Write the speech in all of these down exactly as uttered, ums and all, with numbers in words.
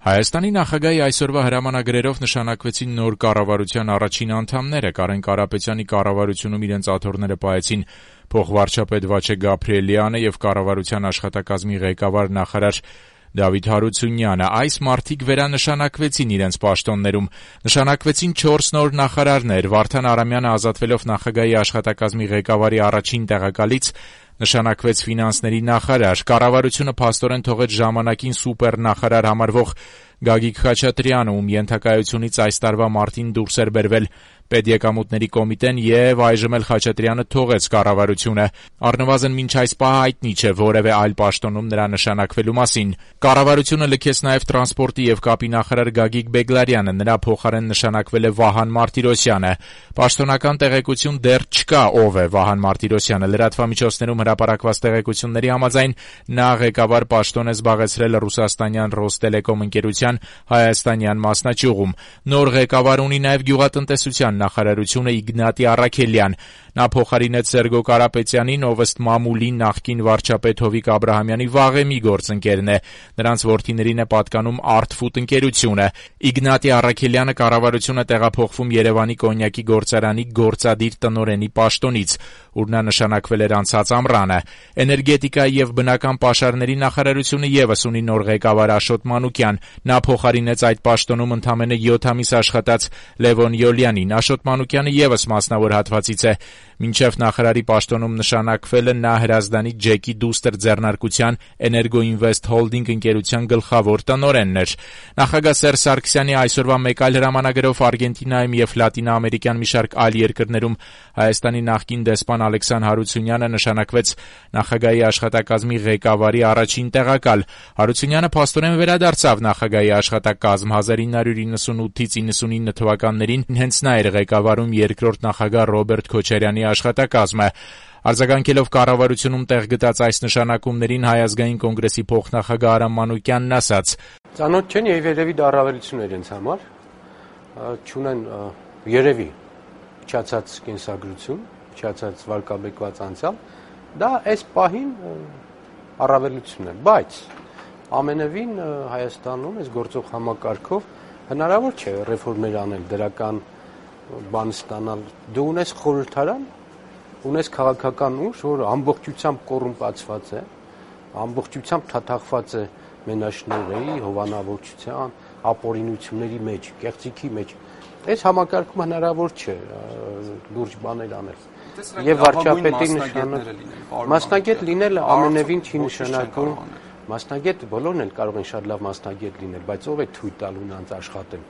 Հայաստանի նախագահի այսօրվա հրամանագրերով նշանակվեցին նոր կառավարության առաջին անդամները։ Կարեն Կարապետյանի կառավարությունում իրենց աթոռները պահեցին փոխվարչապետ Վաչե Գաբրիելյանը եւ կառավարության աշխատակազմի ղեկավար նախարար Դավիթ Հարությունյանը։ Այս մարդիկ վերանշանակվեցին իրենց պաշտոններում։ Նշանակվեցին չորս նոր նախարարներ։ Վարդան Արամյանը ազատվելով նախագահի աշխատակազմի ղեկավարի առաջին տեղակալից նշանակվեց ֆինանսների նախարար։ Կառավարությունը փաստորեն թողեց ժամանակին սուպերնախարար համարվող Գագիկ Խաչատրյանը, ում ենթակայությունից այս տարվա մարտին դուրս էր բերվել Պետեկամուտների կոմիտեն եւ այժմ էլ Խաչատրյանը թողեց կառավարությունը։ Առնվազն մինչ այս պահը հայտնի չէ որևէ այլ պաշտոնում նրա նշանակվելու մասին։ Կառավարությունը լքեց նաեւ տրանսպորտի եւ կապի նախարար Գագիկ Բեգլարյանը, նրա փոխարեն նշանակվել է Վահան Մարտիրոսյանը։ Պաշտոնական տեղեկություն դեռ չկա ով է Վահան Մարտիրոսյանը։ Լրատվամիջոցներում հրապարակված տեղեկությունների համաձայն նա ղեկավար պաշտոն է զբաղեցրել ռուսաստանյան Ռոստելեկոմ ընկերության հայաստանյան մասնաճյուղում։ Նոր ղեկավար ունի նաեւ գյուղատնտեսության նախարարությունը Իգնատի Առաքելյան։ Նա փոխարինեց Սերգո Կարապետյանին, ով ըստ մամուլի նախկին վարչապետ Հովիկ Աբրահամյանի վաղեմի գործընկերն է։ Նրանց որդիներին է պատկանում Artfood ընկերությունը։ Իգնատի Առաքելյանը կառավարությունը տեղափոխվում Երևանի կոնյակի գործարանի գործադիր տնօրենի պաշտոնից, ուր նա նշանակվել էր անցած ամռանը։ Էներգետիկա եւ բնական պաշարների նախարարությունը եւս ունի նոր ղեկավար Աշոտ Մանուկյան։ Նա փոխարինեց այդ պաշտոնում ընդամենը յոթ ամիս աշխատած Լևոն Յոլյանին։ Աշոտ Մանուկյանը եւս մասնավոր հատվածից է։ Մինչև նախարարի պաշտոնում նշանակվելը նա Հրազդանի Ջեկի դուստր ձեռնարկության Էներգոինվեստ Հոլդինգ ընկերության գլխավոր տնօրենն էր։ Նախագահ Սերժ Սարգսյանի այսօրվա մեկ այլ հրամանագրով Արգենտինայում եւ լատինաամերիկյան մի շարք այլ երկրներում Հայաստանի նախկին դեսպան Ալեքսան Հարությունյանը նշանակվեց նախագահի աշխատակազմի ղեկավարի առաջին տեղակալ։ Հարությունյանը փաստորեն վերադարձավ նախագահի աշխատակազմ։ հազար ինը հարյուր իննսունութից իննսունինը թվականներին հենց նա էր ղեկավարում երկրորդ նախագահ Ռոբերտ Քոչարյանի աշխատակազմը։ Արձագանքելով կառավարությունում տեղ գտած այս նշանակումներին Հայ ազգային կոնգրեսի փոխնախագահ Արամ Մանուկյանն ասաց. «Ծանոթ չեն եւ երևի դա առավելություն է իրենց համար, չունեն երևի փչացած կենսագրություն, փչացած վարկաբեկված անցյալ, դա այս պահին առավելություն է, բայց ամենևին Հայաստանում այս գործող համակարգով հնարավոր չէ ռեֆորմեր անել, դրական բան ստանալ։ Դու ունես խորհրդարան, ունես քաղաքական ուժ, որը ամբողջությամբ կոռումպացված է, ամբողջությամբ թաթախված է մենաշնորհի, հովանավորչության, ապօրինությունների մեջ, կեղծիքի մեջ։ Այս համակարգում հնարավոր չէ լուրջ բաներ անել։ Եվ վարչապետի նշանակել մասնագետ լինելը ամենևին չի նշանակում, մասնագետ բոլորն էլ կարող են շատ լավ մասնագետ լինել, բայց ով է թույլ տալու նրանց աշխատել։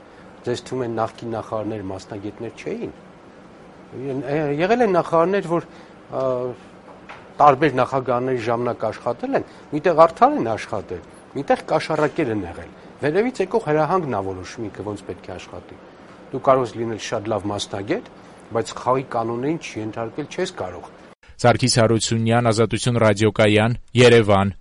Ձեզ թվում է նախկին նախարարներ մասնագետներ չէին։ Եղել են նախարարներ, որ տարբեր նախագահների ժամանակ աշխատել են, միտեղ արդար են աշխատել, միտեղ կաշառակեր են եղել։ Վերևից եկող հրահանգն ա որոշում ինքը ոնց պետք է աշխատի։ Դու կարող ես լինել շատ լավ մասնագետ, բայց խաղի կանոններին չենթարկել չես կարող։ Սարգիս Հարությունյան, Ազատություն ռադիոկայան, Երևան։